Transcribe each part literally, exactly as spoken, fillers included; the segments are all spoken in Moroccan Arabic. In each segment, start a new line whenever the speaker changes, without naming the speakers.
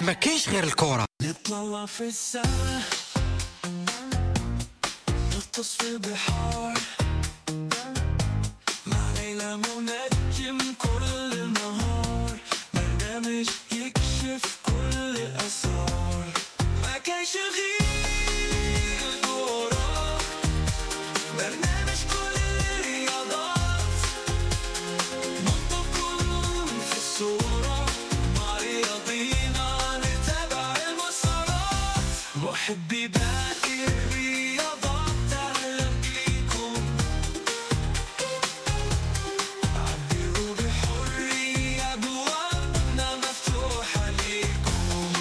ما كاينش غير الكره.
نطلع في السما، نغطس في البحار، مع ليلى منجم كل نهار، برنامج يكشف كل الأسرار. ما كاينش غير الكرة، برنامج كل الرياضات، نحطكم في الصورة، مع رياضينا نتابع المسارات، محبي باقي الرياضات أهلا بيكم، عبروا بحرية، أبوابنا مفتوحة ليكم.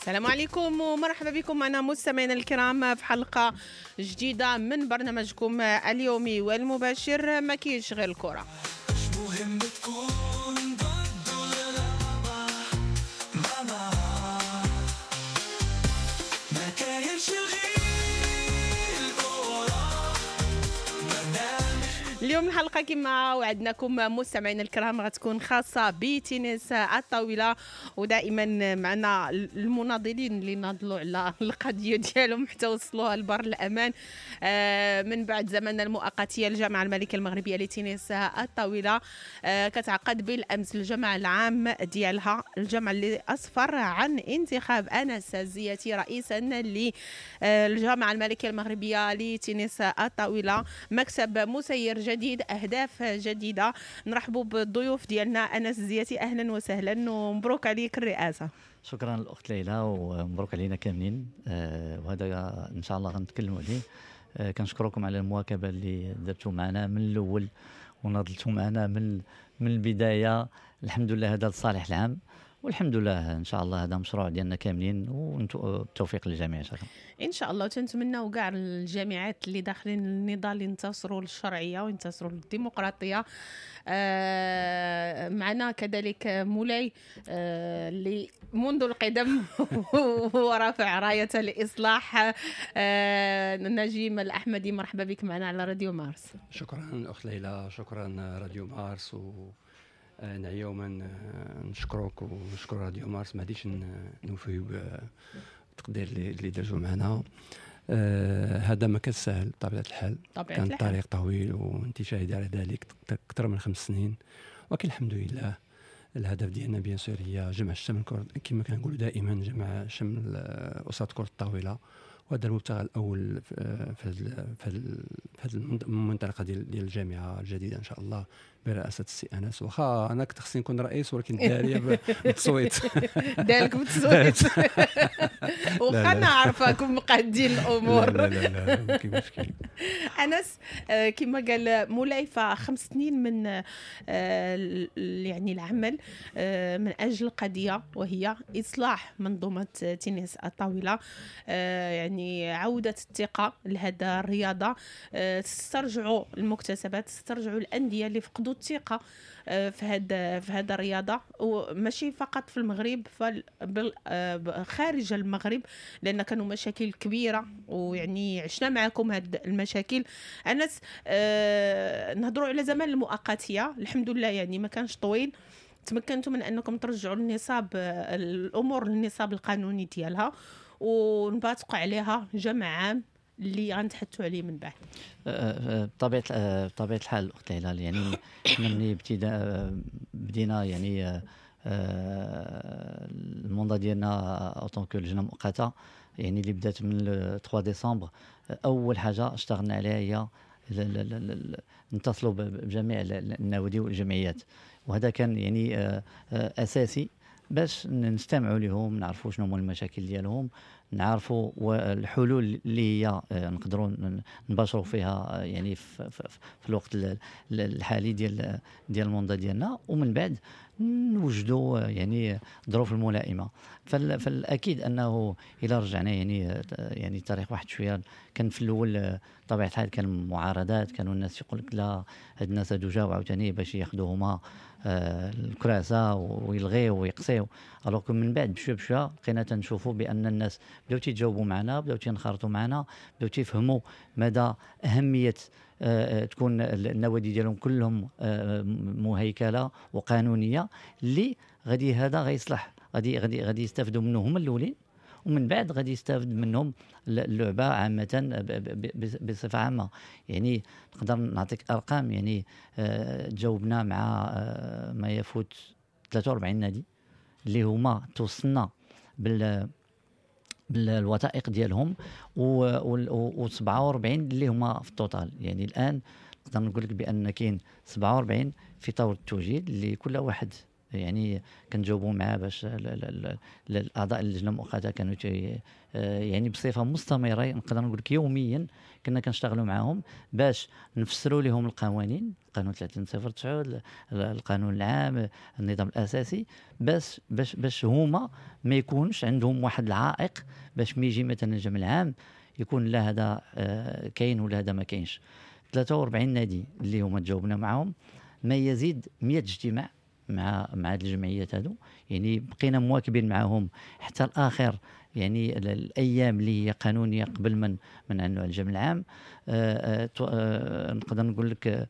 السلام عليكم ومرحبا بكم معنا مستمعينا الكرام في حلقة جديدة من برنامجكم اليومي والمباشر ما كاينش غير الكرة.
مش مهم تكون ضد ولا مع، مع ما كاينش غير الكرة، برنامج.
اليوم الحلقة كما وعدناكم مستمعينا الكرام غتكون خاصة بتنس الطاولة، ودائما معنا المناضلين اللي ناضلوا على القضية ديالهم حتى وصلوها لبر الأمان. آه، من بعد زمن المؤقتية الجامعة الملكية المغربية لتنس الطاولة آه، كتعقد بالأمس الجمع العام ديالها، الجمع اللي أسفر عن انتخاب أنس الزياتي رئيسا للجامعة الملكية المغربية لتنس الطاولة، مكتب مسير جديد، أهداف جديدة. نرحبوا بالضيوف ديالنا. أنس الزياتي أهلا وسهلا ومبروك عليك الرئاسة.
شكرا الأخت ليلى ومبروك علينا كاملين، آه، وهذا إن شاء الله غنتكلموا عليه. آه، كنشكركم على المواكبة اللي درتوا معنا من الأول وناضلتوا معنا من من البداية. الحمد لله هذا لصالح العام، والحمد لله ان شاء الله هذا مشروع ديالنا كاملين، والتوفيق للجميع ان شاء الله.
ان شاء الله. وتنتمناو كاع الجامعات اللي داخلين النضال ينتصروا للشرعيه وينتصروا للديمقراطية. آه معنا كذلك مولاي آه اللي منذ القدم هو رافع رايه الاصلاح، آه نجيم الاحمدي، مرحبا بك معنا على راديو مارس.
شكرا الاخت ليلى، شكرا راديو مارس، و نعيوما نشكرك ونشكر راديو مارس. ما غاديش نوفيو بالتقدير اللي درتو معنا. آه هذا ما كان سهل بطبيعة الحال،
طبيعة
كان
الحال.
طريق طويل وانت شاهده على ذلك، اكثر من خمس سنين، ولكن الحمد لله الهدف ديالنا bien sûr هي جمع الشمل كما كنقولوا دائما، جمع شمل اسره كره الطاولة، وهذا المبتغى الاول في في هذه المنطقة ديال ديال الجامعة الجديدة ان شاء الله برئاسة السي انس. واخا انا كنت خصني نكون رئيس، ولكن داريه بالتصويت.
دارك بالتصويت واخا انا عارفاكم مقادين الامور.
لا لا لا ما كاين مشكل.
انس كما قال مولاي فخمس سنين من يعني العمل من اجل قضية وهي اصلاح منظومة تنس الطاولة، يعني عوده الثقة لهذا الرياضة، تسترجعوا المكتسبات، تسترجعوا الاندية اللي فقدوا الثقة في هذا في هذا الرياضة، وماشي فقط في المغرب بل خارج المغرب، لان كانوا مشاكل كبيرة ويعني عشنا معكم هاد المشاكل. انس آه نهضروا على زمان المؤقتيه، الحمد لله يعني ما كانش طويل، تمكنتوا من انكم ترجعوا النصاب الامور للنصاب القانوني ديالها ونباتقوا عليها جمع عام اللي غنتحدثوا عليه من بعد.
بطبيعة بطبيعة الحال الاخت ليلى، يعني حنا ملي ابتداء بدينا يعني ال mandat ديالنا en tant que لجنة مؤقتة، يعني اللي بدات من ثلاثة ديسمبر، اول حاجة اشتغلنا عليها هي نتصلوا بجميع النوادي والجمعيات، وهذا كان يعني اساسي باش نستمعوا لهم، نعرفوا شنو هما المشاكل ديالهم، نعرفوا الحلول اللي هي نقدروا نباشروا فيها يعني في, في الوقت الحالي ديال ديال ال mandat ديالنا، ومن بعد نوجدوا يعني الظروف الملائمة. فالاكيد انه الى رجعنا يعني يعني تاريخ واحد شوية، كان في الاول طبيعة الحال كان معارضات، كانوا الناس يقول لك لا هاد الناس هادو جاو عاوتاني باش ياخذوا هما الكراسة ويلغيو ويقصيو، alors من بعد بشوية بشوية بقينا تنشوفوا بان الناس بداو تيتجاوبوا معنا، بداو تينخرطوا معنا، بداو تيفهموا مدى اهمية تكون النوادي ديالهم كلهم مهيكله وقانونيه، اللي غادي هذا غيصلح غادي غادي غادي يستافدوا منه هما الاولين، ومن بعد غادي يستافد منهم اللعبة عامة بصفة عامة. يعني نقدر نعطيك ارقام، يعني آه، تجاوبنا مع آه، ما يفوت ثلاثة وأربعين نادي اللي هما توصلنا بال بالوثائق ديالهم، و سبعة وأربعين اللي هما في ال total. يعني الان نقدر نقول لك بان كاين سبعة وأربعين في طور التوجيه اللي كل واحد يعني كنجاوبوا معاه باش الاعضاء اللجنة المؤقتة كانوا يعني بصفة مستمرة، نقدر نقول لك يوميا كنا كنشتغلوا معاهم باش نفسروا لهم القوانين، قانون ثلاثين صفر تسعة، القانون العام، النظام الاساسي، باش باش باش هما ما يكونش عندهم واحد العائق باش ما يجي مثلا الجمع العام يكون لا هذا كاين ولا هذا ما كاينش. ثلاثة وأربعين نادي اللي هما تجاوبنا معاهم، ما يزيد مئة اجتماع مع مع هاد الجمعيات هادو، يعني بقينا مواكبين معاهم حتى الاخر، يعني الايام اللي هي قانونية قبل من من عنه الجمع العام. آآ آآ نقدر نقول لك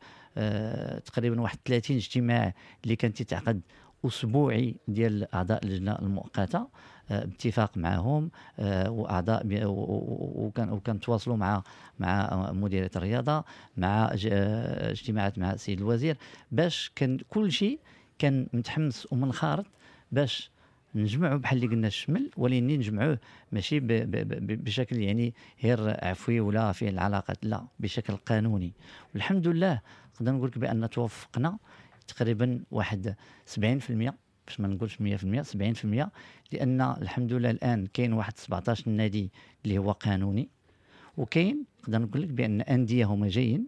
تقريبا واحد ثلاثين اجتماع اللي كانت تتعقد اسبوعي ديال اعضاء اللجنة المؤقتة باتفاق معهم واعضاء، وكان وكنتواصلوا مع مع مديرية الرياضة، مع اجتماعات مع السيد الوزير، باش كان كل شيء كان متحمس ومنخرط باش نجمعوا بحال اللي قلنا الشمل، ولكن نجمعوه ماشي ب ب بشكل يعني غير عفوي ولا فيه العلاقات، لا بشكل قانوني. والحمد لله نقدر نقول لك بان توفقنا تقريبا واحد سبعين بالمئة، باش ما نقولش مئة بالمئة، سبعين بالمئة، لان الحمد لله الان كاين واحد سبعطاش نادي اللي هو قانوني، وكاين نقدر نقول لك بان اندية هما جايين،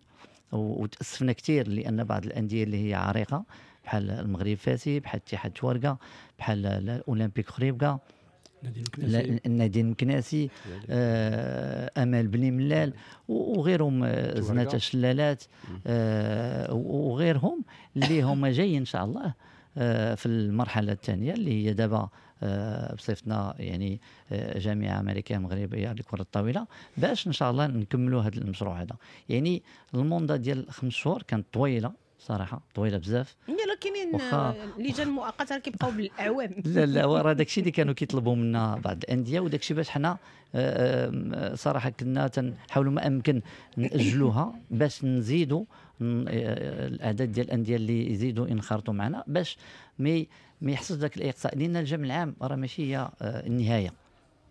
وتاسفنا كثير لان بعض الاندية اللي هي عريقة بحال المغرب فاسي، بحال اتحاد توارقه، بحال الاولمبيك خريبكا، النادي المكناسي، آه، امال بني ملال وغيرهم، زناتة الشلالات، آه، وغيرهم اللي هما جايين ان شاء الله آه، في المرحلة الثانية اللي هي دابا آه، بصفتنا يعني آه، جامعه امريكية مغربية لكرة الطاولة، باش ان شاء الله نكملوا هذا المشروع هذا. يعني ال mandat ديال خمس شهور كانت طويلة صراحة، طويلة بزاف.
لا كاينين لجان مؤقتة كيبقاو بالاعوام.
لا لا، وراه داكشي اللي كانوا كيطلبوا منا بعض الاندية، وداكشي باش حنا صراحة كنا تنحاولوا ما امكن ناجلوها باش نزيدوا الاعداد ديال الاندية اللي يزيدوا ينخرطوا معنا، باش ما ما يحصلش ذاك الاقصاء، لان الجمع العام راه ماشي هي النهاية،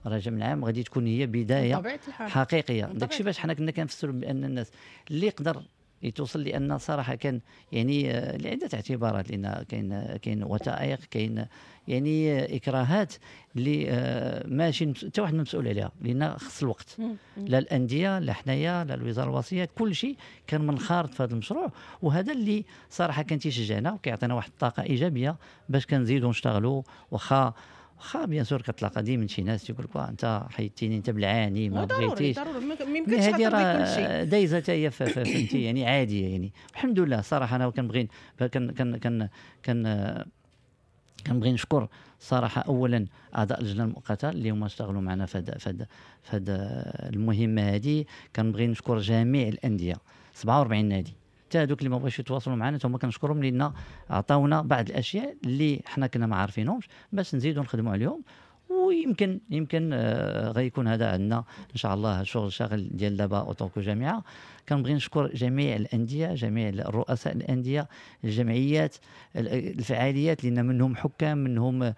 راه الجمع العام غادي تكون هي بداية حقيقية. داكشي باش حنا كنا كنفسروا بان الناس اللي يقدر يتوصل، لان صراحة كان يعني لعدة اعتبارات، لان كاين كاين وثائق، كاين يعني اكراهات اللي ماشي حتى واحد مسؤول عليها، لان خص الوقت، لا الاندية لا حنايا لا الوزارة الوصية، كل شيء كان منخرط في هذا المشروع، وهذا اللي صراحة كان تيشجعنا وكيعطينا واحد الطاقة ايجابية باش كنزيدوا نشتغلوا. واخا واخا bien sûr كتلاقى ديما شي ناس تيقول لك انت حيدتيني، انت بالعاني، ما بغيتيش،
ضروري ما يمكنش ترضي كل شيء،
دايزه حتى هي فهمتي، يعني عادية. يعني الحمد لله صراحة انا كنبغي كن كن كن كن كنبغي نشكر صراحة اولا اعضاء اللجنة المؤقتة اللي هما اشتغلوا معنا في هذا في هذا المهمة هذه. كنبغي نشكر جميع الاندية سبعة وأربعين نادي، حتى هذوك اللي ما بغاوش يتواصلوا معنا هما كنشكرهم، لان عطاونا بعض الاشياء اللي حنا كنا ما عارفينهمش باش نزيدوا نخدموا عليهم، ويمكن يمكن آه غيكون هذا عندنا ان شاء الله شغل شاغل ديال دابا en tant que جامعه. كنبغي نشكر جميع الاندية، جميع الرؤساء الاندية، الجمعيات، الفعاليات، لان منهم حكام، منهم آه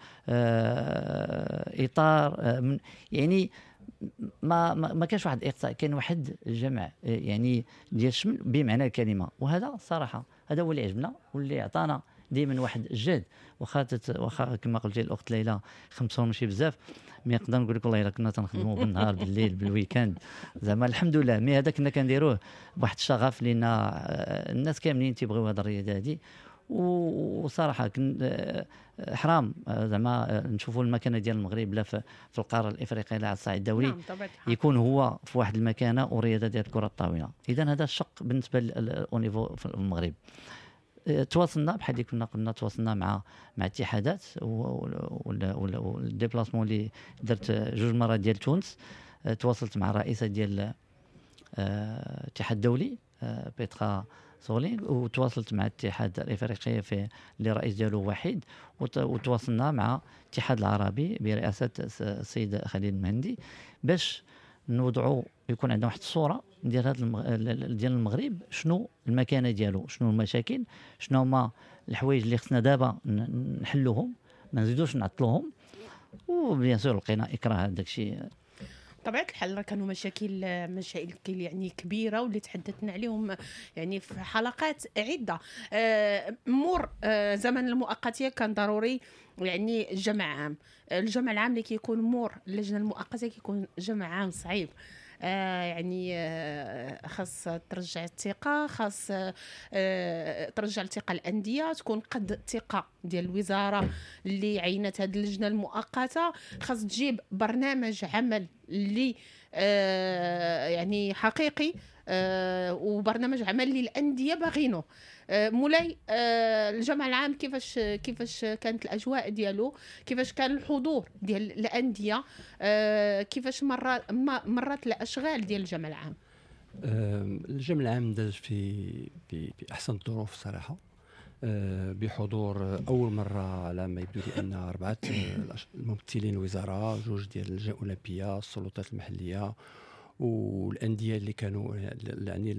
اطار، آه من يعني ما ما, ما كانش واحد الاقصاء، كان واحد الجمع يعني ديال الشمل بمعنى الكلمة. وهذا صراحة هذا هو اللي عجبنا واللي عطانا دائما واحد الجهد. واخا واخا كما قلتي الاخت ليلى خمسة ماشي بزاف، mais نقدر نقول لك والله الا كنا تنخدموا بالنهار بالليل بال week-end زعما الحمد لله. mais هذا كنا كنديروه بواحد الشغف، لان الناس كاملين تيبغيو هذه الرياضة هذه، وصراحة كن حرام زعما نشوفوا المكانة ديال المغرب لا في القارة الافريقية لا على الصعيد الدولي. نعم، يكون هو في واحد المكانة ورياضة ديال كره الطاولة. اذا هذا الشق بالنسبة au niveau في المغرب. تواصلنا بحال اللي كنا قلنا، تواصلنا مع مع اتحادات وال déplacement اللي درت جوج مرات ديال تونس. تواصلت مع الرئيسة ديال الاتحاد الدولي بيترا Soling، وتواصلت مع الاتحاد الافريقي في اللي رئيس ديالو وحيد، وتواصلنا مع الاتحاد العربي برئاسة السيد خليل المهندي باش نوضعوا يكون عندنا واحد الصورة ديال هذا المغ... ديال المغرب، شنو المكانة ديالو، شنو المشاكل، شنو هما الحوايج اللي خصنا دابا نحلوهم ما نزيدوش نعطلوهم. و bien sûr لقينا اكراه هذاك الشيء.
بطبيعة الحال راه كانوا مشاكل مشاكل يعني كبيرة واللي تحدثنا عليهم يعني في حلقات عده. مور زمن المؤقتيه كان ضروري يعني جمع عام، الجمع العام اللي كيكون مور اللجنة المؤقتة كيكون جمع عام صعيب، آه يعني آه خاص ترجع الثقة، خاص آه ترجع الثقة الاندية، تكون قد الثقة ديال الوزارة اللي عينت هذه اللجنة المؤقتة، خاص تجيب برنامج عمل اللي آه يعني حقيقي، آه وبرنامج عمل للاندية باغينه. آه مولاي، آه الجمع العام كيفاش كيفاش كانت الاجواء ديالو، كيفاش كان الحضور ديال الاندية، آه كيفاش مرات مرات الاشغال ديال الجمع العام؟
آه الجمع العام داز في في, في احسن الظروف صراحة، آه بحضور اول مرة على ما يبدو لي ان اربعة الممثلين الوزارة، جوج ديال اللجنة الاولمبية، السلطات المحلية والاندية اللي كانوا يعني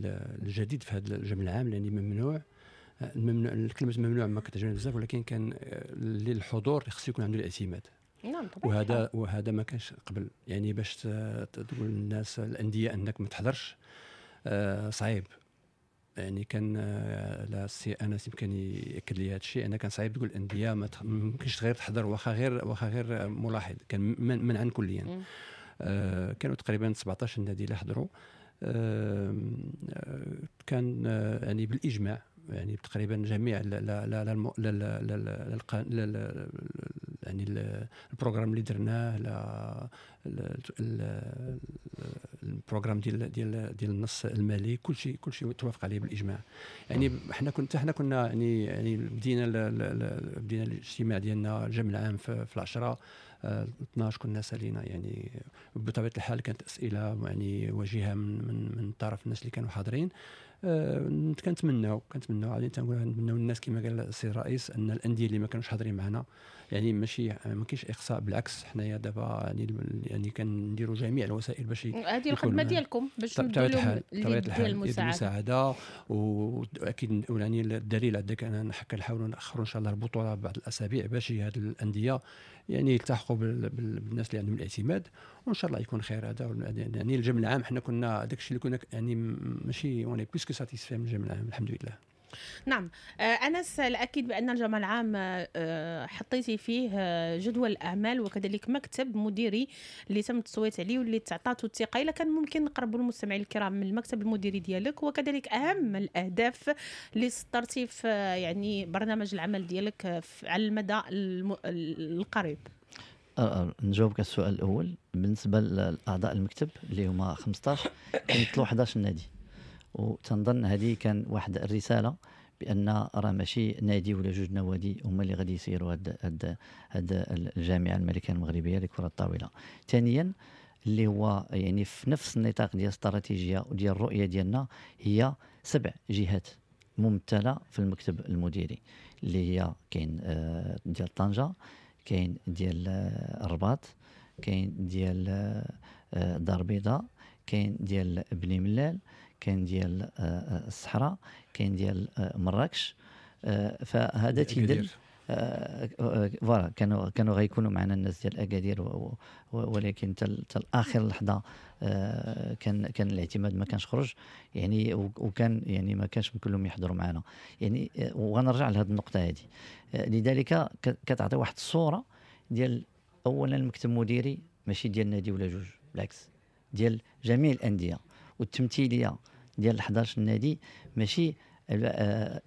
الجديد في هذا الجمع العام، لان ممنوع الممنوع الكلمة ممنوع ما كتعجبني بزاف، ولكن كان للحضور خص يكون عنده الاعتماد.
نعم طبعا،
وهذا وهذا ما كانش قبل، يعني باش تقول للناس الاندية انك ما تحضرش آه صعيب. يعني كان لا السي انس يمكن ياكد لي هذا الشيء، انا كان صعيب تقول الاندية ما يمكنش غير تحضر واخا غير واخا غير ملاحظ، كان منعا كليا. آه كانوا تقريبا سبعطاش نادي اللي حضروا، آه كان آه يعني بالاجماع، يعني تقريبا جميع لا لا لا لا لا لا يعني ال programme اللي درناه، لا ال programme ديال ديال ديال النص المالي، كل شيء كل شيء توافق عليه بالاجماع. يعني حنا كنت حنا كنا يعني يعني بدينا بدينا الاجتماع ديالنا الجمع العام في, في العشرة اثناش كنا سالينا. يعني بطبيعة الحال كانت اسئلة يعني وجيهة من من من طرف الناس اللي كانوا حاضرين. أه كنتمناو كنتمناو غادي تنقول نتمناو الناس كما قال السيد الرئيس ان الاندية اللي ما كانوش حاضرين معنا يعني ماشي ما كاينش اقصاء، بالعكس حنايا دابا يعني يعني كنديروا جميع الوسائل باش
هذه الخدمة ديالكم باش تمدوا لهم المساعدة
المساعدة. واكيد يعني الدليل عندك انا كنحاولوا ناخروا ان شاء الله البطولة بعض الاسابيع باش هذه الاندية يعني يلتحقوا بالناس اللي عندهم الاعتماد، وان شاء الله يكون خير. هذا يعني الجمع العام حنا كنا داك الشيء اللي كنا يعني ماشي on est plus que satisfaits من الجمع العام الحمد لله.
نعم أنس، الأكيد بأن الجمع العام حطيتي فيه جدول الأعمال وكذلك مكتب مديري اللي تم التصويت عليه واللي تعطاتو الثقة. إلا كان ممكن نقربوا المستمعين الكرام من المكتب المديري ديالك وكذلك أهم الأهداف اللي سطرتي في يعني برنامج العمل ديالك على المدى القريب.
نجاوبك السؤال الأول. بالنسبة لأعضاء المكتب اللي هما خمسطاش كيمثلوا حداش نادي، وتنظن هذه كان واحد الرسالة بان راه ماشي نادي ولا جوج نوادي هما اللي غادي يسيروا هاد هاد هاد الجامعة الملكية المغربية لكرة الطاولة. ثانيا اللي هو يعني في نفس النطاق ديال الاستراتيجية وديال الرؤية ديالنا هي سبع جهات ممثلة في المكتب المديري، اللي هي كاين ديال طنجه، كاين ديال الرباط، كاين ديال الدار البيضاء، كاين ديال بني ملال، كاين ديال الصحراء، كاين ديال مراكش. فهذا تيدل voilà كانوا كانوا غيكونوا معنا الناس ديال اكادير، ولكن حتى اخر لحظة كان كان الاعتماد ما كانش خرج يعني، وكان يعني ما كانش كلهم يحضروا معنا يعني. وغنرجع لهذه النقطة هذه. لذلك كتعطي واحد الصورة ديال اولا المكتب المديري ماشي ديال نادي ولا جوج، بالعكس ديال جميع الاندية، والتمثيليه ديال حداش نادي ماشي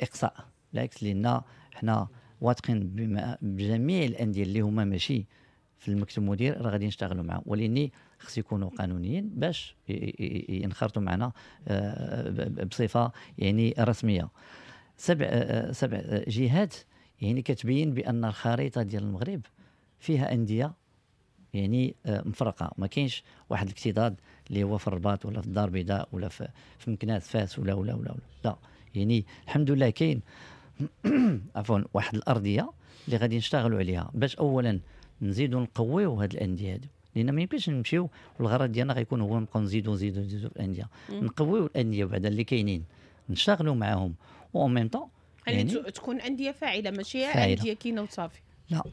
اقصاء، بالعكس لان حنا واثقين بجميع الاندية اللي هما ماشي في المكتب المدير راه غادي نشتغلوا معاهم، ولاني خص يكونوا قانونيين باش ينخرطوا معنا بصفة يعني رسمية. سبع سبع جهات يعني كتبين بان الخريطة ديال المغرب فيها اندية يعني مفرقه، ما كاينش واحد الاكتضاد اللي هو في الرباط ولا في الدار البيضاء ولا في في مكناس فاس ولا ولا ولا, ولا. لا، يعني الحمد لله كاين عفوا واحد الارضية اللي غادي نشتغلوا عليها باش اولا نزيدوا نقويو هاد الاندية هادو، لان ما يمكنش نمشيو والغرض ديالنا غيكون هو نبقاو نزيدو نزيدو نزيدو في الاندية. نقويو الاندية بعدا اللي كاينين، نشتغلوا معاهم و en même temps
يعني, يعني تكون اندية فاعله، ماشي اندية كاينه وصافي.
لا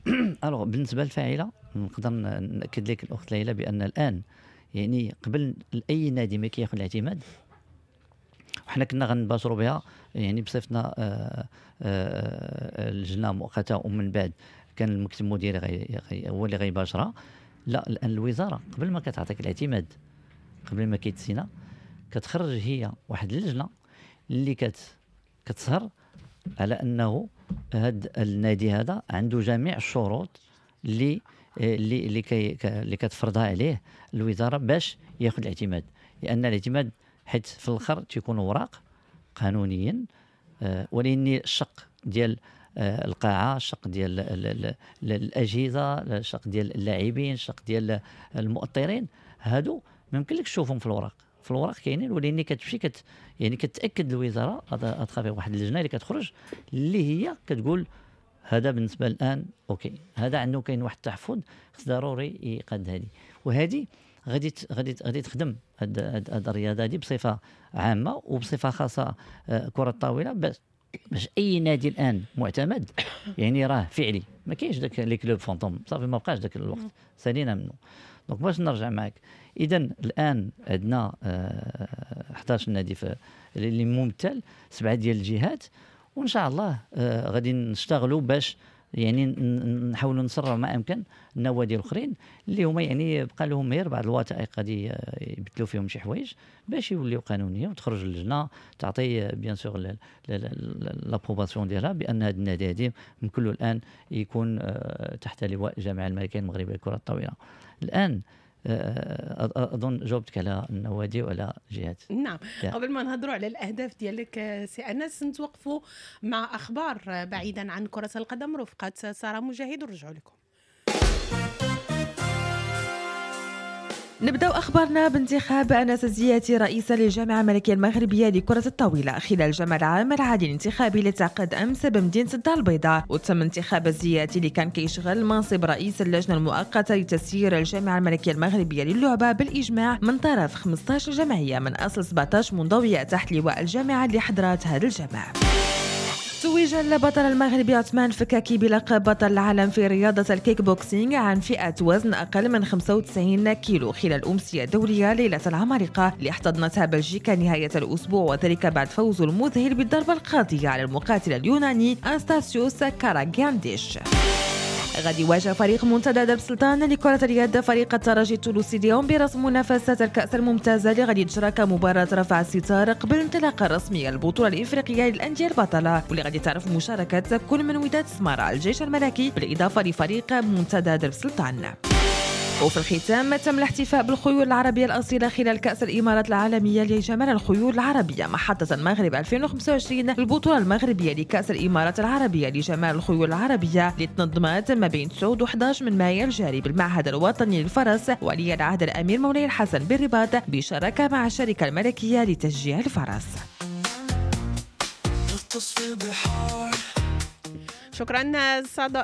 alors بالنسبة للفاعله نقدر ناكد لك الاخت ليلى بان الان يعني قبل اي نادي ما كياخذ الاعتماد، وحنا كنا غنباشروا بها يعني بصفتنا آه، آه، اللجنة مؤقتة، ومن بعد كان المكتب المديري غي غي هو اللي غيباشرها. لا الان الوزارة قبل ما كتعطيك الاعتماد، قبل ما كيتسينا، كتخرج هي واحد اللجنة اللي كت كتسهر على انه هذا النادي هذا عنده جميع الشروط اللي اللي اللي كي اللي كتفرضها عليه الوزارة باش ياخذ الاعتماد. لان الاعتماد حيت في الاخر تيكون اوراق قانونيا، آه، ولكن الشق ديال آه، القاعة، الشق ديال الاجهزة، الشق ديال اللاعبين، الشق ديال المؤطرين، هادو ما يمكنلكش تشوفهم في الوراق. في الوراق كاينين، ولكن كتمشي كت يعني كتاكد الوزارة à travers واحد اللجنة اللي كتخرج اللي هي كتقول هذا بالنسبة الان OK، هذا عنده كاين واحد التحفظ خص ضروري يقاد هذه. وهذه غادي غادي غادي تخدم هاد هاد الرياضة هذه بصفة عامة وبصفه خاصة آه، كره الطاولة، باش باش اي نادي الان معتمد يعني راه فعلي، ما كاينش داك les clubs fantômes، صافي ما بقاش داك الوقت، سالينا منه. donc باش نرجع معك، اذا الان عندنا آه، حداش نادي في اللي ممثل سبعة ديال الجهات، وان شاء الله آه، غادي نشتغلوا باش يعني نحاولوا نسرعوا ما امكن النوادي الاخرين اللي هما يعني بقى لهم غير بعض الوثائق غادي يبدلوا فيهم شي حوايج باش يوليو قانونية، وتخرج اللجنة تعطي bien sûr l'approbation ديالها بان هذا النادي هذا يمكن له الان يكون آه، تحت لواء الجامعة الملكية المغربية لكرة الطاولة. الان آه، اظن جاوبتك على النوادي وعلى الجهات.
نعم، قبل ما نهضروا على الاهداف ديالك آه، سي انس، نتوقفوا مع اخبار بعيدا عن كره القدم رفقه ساره مجاهد، ونرجعوا لكم.
نبدأ أخبارنا بانتخاب أنس الزياتي رئيسا للجامعة الملكية المغربية لكرة الطاولة خلال الجمع العام العادي الانتخابي اللي تعقد أمس بمدينة الدار البيضاء. وتم انتخاب الزياتي اللي كان كيشغل منصب رئيس اللجنة المؤقتة لتسيير الجامعة الملكية المغربية للعبة بالإجماع من طرف خمسة عشر جمعية من أصل سبعة عشر منضوية تحت لواء الجامعة اللي حضرت هذا الجمع. توج البطل المغربي عثمان فكاكي بلقب بطل العالم في رياضة الكيك بوكسينغ عن فئة وزن أقل من خمسة وتسعين كيلو خلال أمسية دولية ليلة العمالقة اللي احتضنتها بلجيكا نهاية الأسبوع، وذلك بعد فوزه المذهل بالضربة القاضية على المقاتل اليوناني أنستاسيوس كاراغانديش. غادي يواجه فريق منتدى درب سلطان لكرة اليد فريق الترجي التونسي اليوم برسم منافسة الكأس الممتازة اللي غادي تجرى كمباراة رفع الستار قبل الانطلاقة الرسمية للبطولة الإفريقية للأندية البطلة، واللي غادي تعرف مشاركة كل من وداد سمارة الجيش الملكي بالإضافة لفريق منتدى درب سلطان. وفي الختام تم الاحتفاء بالخيول العربية الأصيلة خلال كأس الإمارات العالمية لجمال الخيول العربية محطة المغرب ألفين وخمسة وعشرين، البطولة المغربية لكأس الإمارات العربية لجمال الخيول العربية اللي تنظمت ما بين تسعة و أحد عشر من مايو الجاري بالمعهد الوطني للفرس ولي العهد الأمير مولاي الحسن بالرباط بشراكة مع الشركة الملكية لتشجيع الفرس.
شكرا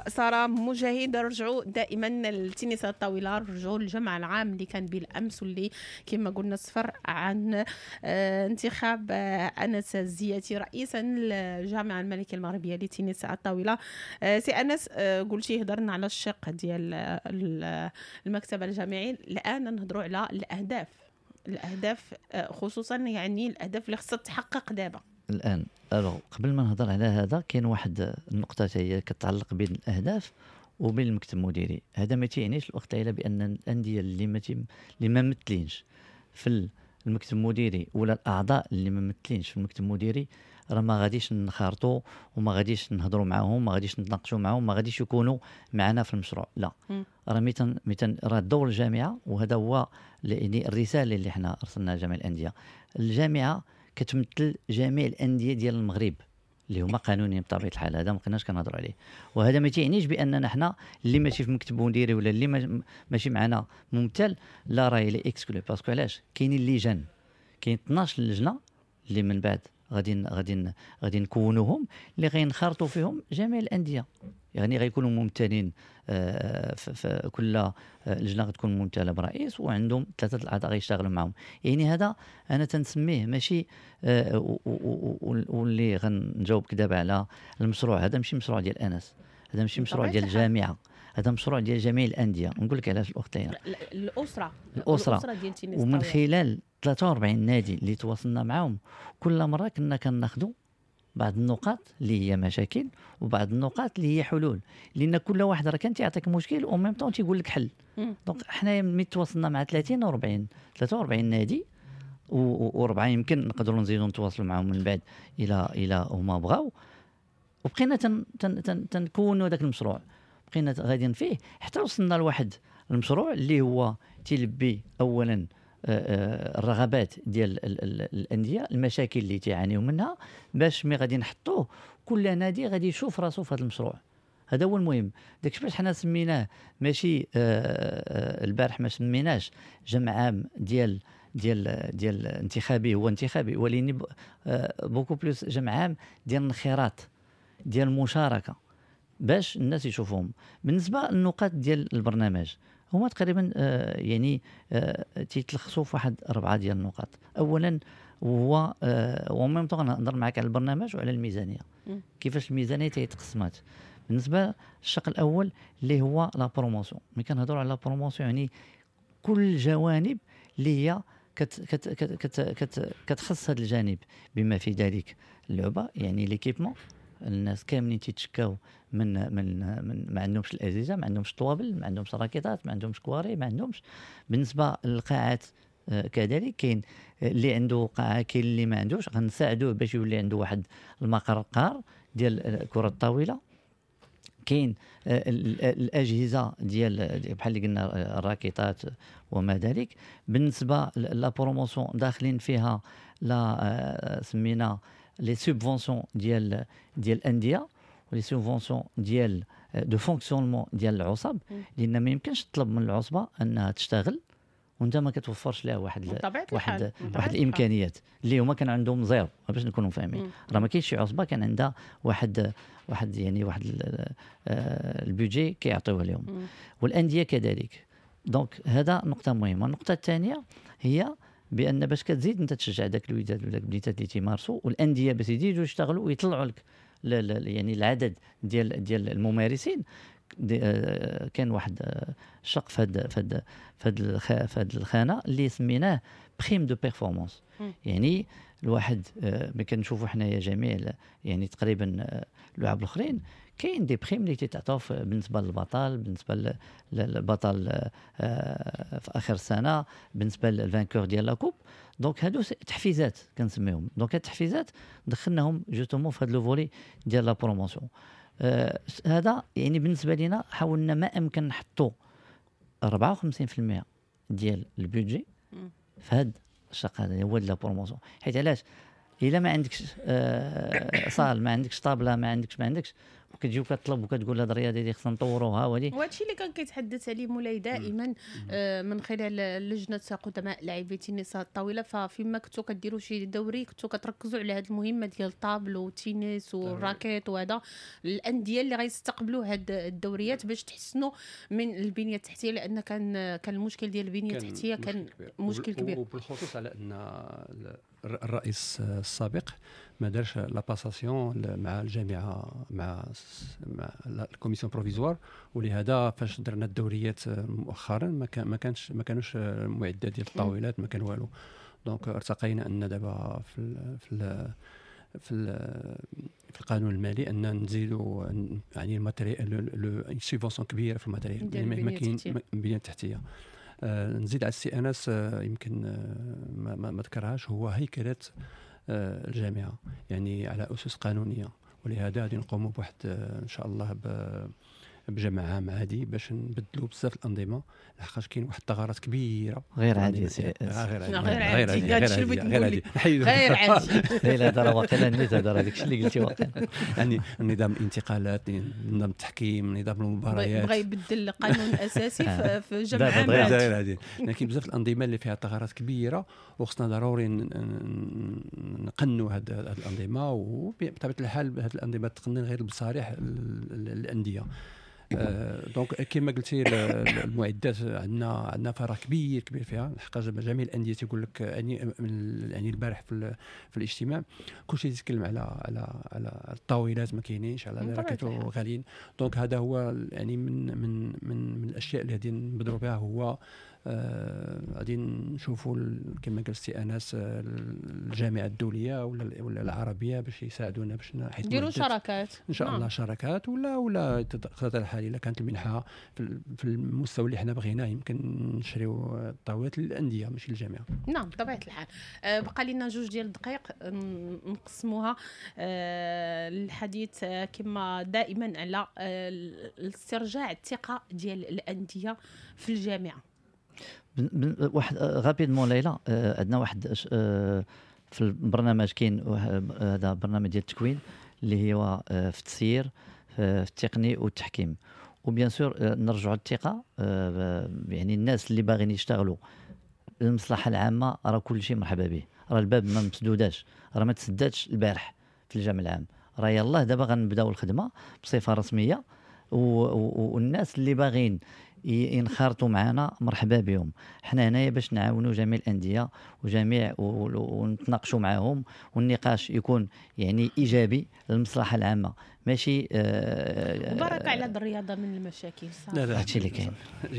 سارة مجاهد. رجعوا دائما للتنس الطاولة، رجعوا للجمع العام اللي كان بالامس واللي كما قلنا صفر عن انتخاب انس الزياتي رئيسا للجامعة الملكية المغربية لتنس الطاولة. سي انس، قلتي هضرنا على الشق ديال المكتب الجامعي، الان نهضروا على الاهداف، الاهداف خصوصا يعني الاهداف اللي خصها تحقق دابا
الان. alors قبل ما نهضر على هذا كاين واحد النقطة هي كتعلق بين الاهداف وبين المكتب المديري. هذا ما تيعنيش الاخت ليلى بان الاندية اللي ما اللي ما ممثلينش في المكتب المديري ولا الاعضاء اللي ما ممثلينش في المكتب المديري راه ما غاديش نخارطوا وما غاديش نهضروا معاهم، ما غاديش نتناقشوا معاهم، ما غاديش يكونوا معنا في المشروع. لا، راه ميتن ميتن راه دور الجامعة، وهذا هو يعني الرسالة اللي حنا ارسلناها لجميع الاندية. الجامعة كتمثل جميع الاندية ديال المغرب اللي هما قانونيين بطبيعة الحال، هذا ما بقيناش كنهضروا عليه. وهذا ما تيعنيش باننا حنا اللي ماشي في مكتب مديري ولا اللي ماشي معنا ممثل لا راه il est exclu. parce que علاش كاينين اللجان، كاين اثناش لجنة اللي من بعد غادي غادي غادي نكونوهم اللي غينخرطوا فيهم جميع الاندية، يعني غيكونوا ممثلين في كل لجنة غتكون ممثلة برئيس وعندهم ثلاثة الاعضاء غيشتغلوا معهم. يعني هذا انا تنسميه ماشي، واللي غنجاوبك دابا على المشروع هذا ماشي مشروع ديال انس، هذا ماشي مشروع ديال الجامعة، هذا مشروع ديال جميع الاندية. نقول لك علاش الاخت ليلى،
الاسرة
الاسرة
ديال تنس،
ومن خلال ثلاثة وأربعين نادي اللي تواصلنا معهم كل مرة كنا كناخذوا بعض النقاط اللي هي مشاكل وبعض النقاط اللي هي حلول، لان كل واحد راه كان تيعطيك مشكل و même temps تيقول لك حل. donc حنايا ملي تواصلنا مع ثلاثين وأربعين ثلاثة وأربعين نادي وربعه يمكن نقدروا نزيدوا نتواصلوا معهم من بعد الى الى هما بغاو، وبقينا تن تن تن تنكونوا داك المشروع، بقينا غاديين فيه حتى وصلنا لواحد المشروع اللي هو تيلبي اولا الرغبات ديال الاندية، المشاكل اللي تيعانيو منها، باش مي غادي نحطوه كل نادي غادي يشوف راسو في هذا المشروع. هذا هو المهم. داكشي باش حنا سميناه ماشي البارح ما سميناش جمع عام ديال ديال ديال انتخابي، هو انتخابي ولكن beaucoup plus جمع عام ديال الانخراط ديال المشاركة باش الناس يشوفوهم. بالنسبة للنقاط ديال البرنامج هما تقريبا يعني تيتلخصوا في واحد اربعة ديال النقاط. اولا وهو و même temps نهضر معك على البرنامج وعلى الميزانية، كيفاش الميزانية تيتقسمات. بالنسبة للشق الاول اللي هو la promotion، ملي كنهضروا على la promotion يعني كل الجوانب اللي هي كت كت كت كت كتخص هذا الجانب بما في ذلك اللعبة، يعني l'équipement. الناس كاملين تيتشكاو من من من ما عندهمش الاجهزة، ما عندهمش طوابل، ما عندهمش راكيطات، ما عندهمش كواري، ما عندهمش. بالنسبة للقاعات كذلك كاين اللي عنده قاعة كاين اللي ما عندوش، غنساعدوه باش يولي عنده واحد المقر قار ديال كره الطاولة. كاين الاجهزة ديال بحال اللي قلنا الراكيطات وما ذلك. بالنسبة la promotion داخلين فيها لا سمينا les subventions ديال ديال الاندية و les subventions ديال de fonctionnement ديال العصب، لان ما يمكنش تطلب من العصبة انها تشتغل وانت ما كتوفرش لها واحد واحد واحد الامكانيات اللي هما كان عندهم zéro. باش نكونوا فاهمين راه ما كاينش شي عصبه كان عندها واحد واحد يعني واحد ال budget كيعطيوه لهم، والاندية كذلك. donc هذا نقطة مهمة. النقطة الثانية هي بان باش كتزيد انت تشجع داك الوليدات ولا البنيتات اللي تيمارسوا والاندية باش يزيدوا يشتغلوا ويطلعوا لك يعني العدد ديال ديال الممارسين. كان واحد الشق في هاد في هاد في هاد الخانة اللي سميناه prime de performance. يعني الواحد ملي كنشوفوا حنايا جميع يعني تقريبا اللعاب الاخرين كاين des primes اللي تيتعطاو بالنسبة للبطل، بالنسبة للبطل في اخر السنة، بالنسبة لل vainqueur ديال la coupe. donc هادو تحفيزات كنسميهم. donc هاد التحفيزات دخلناهم justement في هاد le volet ديال la promotion. آه هذا يعني بالنسبة لينا حاولنا ما امكن نحطوا أربعة وخمسين بالمية ديال ال budget في هاد الشق هذا هو la promotion. حيت علاش الا ما عندكش آه salle، ما عندكش طابله، ما عندكش ما عندكش وكتجي وكتطلب وكتقول هاد الرياضة دي خصنا نطوروها وهادي.
وهادشي اللي كان كيتحدث عليه مولاي دائما آه من خلال لجنة قدماء لاعبي تنس الطاولة. ففيما كنتو كديروا شي دوري كنتو كتركزوا على هاد المهمة ديال ال table والتنس وال raquette وهذا، الاندية اللي غيستقبلوا هاد الدوريات باش تحسنوا من البنية التحتية، لان كان كان المشكل ديال البنية التحتية كان مشكل كبير،
وبالخصوص على ان الرئيس السابق ما دارش la passation مع الجامعة مع مع ال commission provisoire، ولهذا فاش درنا الدوريات مؤخرا ما كان ما كانش ما كانوش المعدات ديال الطاولات، ما كان والو. donc ارتقينا ان دابا في ال في ال في في القانون المالي ان نزيدوا يعني ال matériel subvention كبيرة في ال matériel، يعني ما كاين البنية التحتية. آه نزيد على السي انس آه يمكن آه ما, ما, ما ذكرهاش، هو هيكله آه الجامعة يعني على اسس قانونية، ولهذا غادي نقوموا بواحد آه ان شاء الله ب بجمع عام عادي باش نبدلوا بزاف الانظمة، لحقاش كاين واحد الثغرات كبيرة
غير عادي.
غير عادي
غير عادي غير عادي غير عادي.
لا لا هذا واقيلا نيت هذا داك الشيء اللي قلتي واقيلا،
يعني نظام الانتقالات، نظام التحكيم، نظام المباريات،
بغى يبدل القانون الاساسي في جمع عام
غير عادي. لكن بزاف الانظمة اللي فيها ثغرات كبيرة وخصنا ضروري نقنوا هاد الانظمة، وبطبيعة الحال هاد الانظمة تقنن غير بصالح الاندية. donc كما قلتي المعدات عندنا عندنا فراغ كبير كبير فيها، لحقاش جميع الاندية تيقول لك يعني يعني البارح في في الاجتماع كلشي يتكلم على على على الطاولات ما كاينينش، على les raquettes غاليين. donc هذا هو يعني من من من من الاشياء اللي غادي نبدروا بها، هو غادي نشوفوا كما قال السي انس الجامعة الدولية ولا ولا العربية باش يساعدونا باش
نديروا شراكات
ان شاء الله، شراكات ولا ولا تقدر الحال الا كانت المنحة في المستوى اللي حنا بغيناه يمكن نشريو الطاولات للاندية ماشي للجامعة.
نعم بطبيعة الحال. بقى لنا جوج ديال الدقائق نقسموها الحديث كما دائما على استرجاع الثقة ديال الاندية في الجامعة.
واحد rapidement ليلى، عندنا واحد في البرنامج كاين هذا برنامج ديال التكوين اللي هو في التسيير في التقني والتحكيم، و bien sûr نرجعوا للثقة، يعني الناس اللي باغيين يشتغلوا المصلحة العامة راه كل شيء مرحبا به، راه الباب ما مسدوداش، راه ما تسداتش البارح في الجامع العام، راه يلاه دابا غنبداو الخدمة بصفة رسمية، والناس اللي باغين ينخرطوا معنا مرحبا بهم. حنا هنايا باش نعاونوا جميع الاندية وجميع ونتناقشوا معاهم، والنقاش يكون يعني ايجابي للمصلحة العامة، ماشي
آه وبركة على الرياضة من المشاكل.
صراحة
هادشي اللي كاين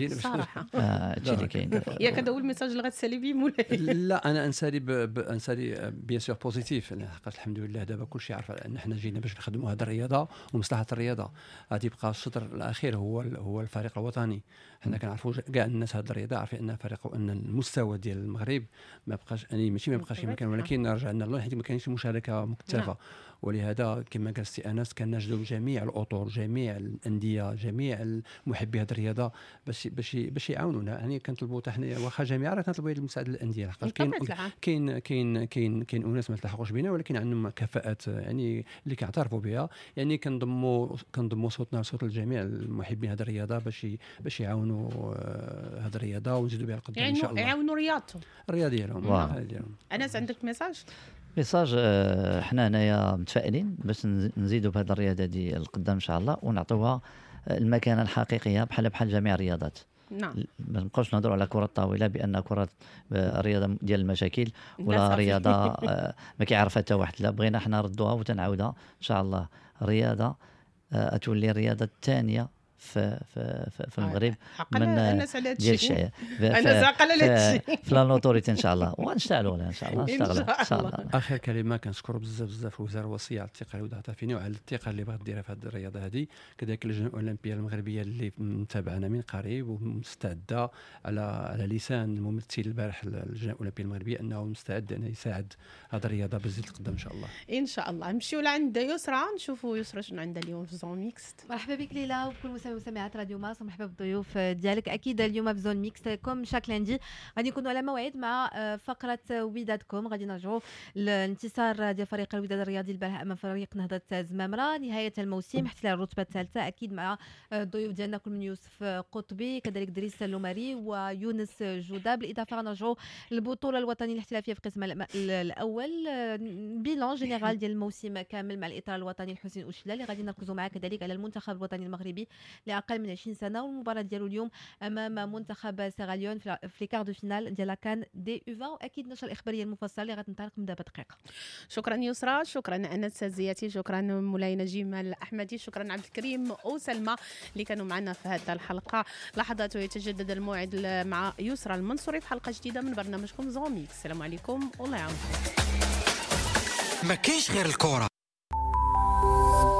صراحة،
هادشي اللي كاين.
ياك هذا هو ال message اللي غتسالي به مولاي؟
لا انا انسالي انسالي bien sûr positif، لحقاش الحمد لله دابا كلشي عارف ان حنا جينا باش نخدموا هذه الرياضة ومصلحه الرياضة. غادي يبقى الشطر الاخير هو هو الفريق الوطني. حنا كنعرفوا كاع الناس هذه الرياضة عارفين ان فريق ان المستوى ديال المغرب ما بقاش يعني ماشي ما بقاش كما كان، ولكن رجعنا لله حيت ما كاينش مشاركة مكثفة. ولهذا كما قال السي انس كنجدوا جميع الاطر، جميع الاندية، جميع المحبي هذه الرياضة باش باش باش يعاونونا. يعني كنطلبوا حتى حنا واخا جميع راه كنطلبوا المساعدة للاندية، لحقاش كاين كاين كاين كاين كاين اناس ما تلحقوش بنا ولكن عندهم كفاءات يعني اللي كيعترفوا بها. يعني كنضموا كنضموا صوتنا لصوت الجميع المحبين هذه الرياضة باش باش يعاونوا هذه الرياضة ونزيدوا بها القدام ان شاء الله،
يعاونوا رياضتهم
الرياضة ديالهم.
انس عندك message؟
message حنا هنايا متفائلين باش نزيدوا بهذه الرياضة دي القدام ان شاء الله، ونعطوها المكانة الحقيقية بحال بحال جميع الرياضات.
نعم،
ما نبقاوش نهضروا على كره الطاولة بان كره الرياضة ديال المشاكل ولا رياضة ما كيعرفها حتى واحد. لا، بغينا حنا نردوها وتنعاودها ان شاء الله. الرياضة تولي الرياضة الثانية في في في المغرب
من الناس على هذا الشيء، انا عاقل على هذا الشيء
في la notoriété ان شاء الله، ونشتغلوا عليها ان شاء الله. نشتغلوا ان شاء الله.
اخر كلمة، كنشكر بزاف بزاف الوزارة الوصية على الثقة اللي وضعتها فينا وعلى الثقة اللي بغات ديرها في هذه الرياضة هذه، كذلك اللجنة الاولمبية المغربية اللي متابعنا من قريب ومستعده على على لسان الممثل البارح اللجنة الاولمبية المغربية انه مستعد انه يساعد هذه الرياضة باش تزيد القدام ان شاء الله.
ان شاء الله نمشيو لعند يسرى، نشوفوا يسرى شنو عندها اليوم في zone mixte.
مرحبا بك ليلى وكل مستمعات راديو مارس، ومرحبا بالضيوف ديالك. اكيد اليوم في zone mixte comme chaque lundi غادي نكونوا على موعد مع فقره ودادكم. غادي نرجعوا للانتصار ديال فريق الوداد الرياضي البارح امام فريق نهضة زمامرة، نهاية الموسم احتلال الرتبة الثالثة، اكيد مع الضيوف ديالنا كل من يوسف قطبي، كذلك دريس اللوماري ويونس جوده. بالاضافة غنرجعوا للبطولة الوطنية الاحترافية في القسم الاول، bilan général ديال الموسم كامل مع الاطار الوطني الحسين اوشلا اللي غادي نركزوا معاه كذلك على المنتخب الوطني المغربي لاقل من عشرين سنة والمباراة ديالو اليوم امام منتخب سيراليون في les quarts de finale ديال la CAN des U vingt. واكيد نشر الاخبارية المفصلة اللي غتنطلق من دابا دقيقة.
شكرا يسرى، شكرا انس زياتي، شكرا مولاي نجيم الاحمدي، شكرا عبد الكريم وسلمى اللي كانوا معنا في هذه الحلقة. لحظات ويتجدد الموعد مع يسرى المنصوري في حلقة جديدة من برنامجكم zone mixte. السلام عليكم والله يعاونكم.
ما كاينش غير الكره.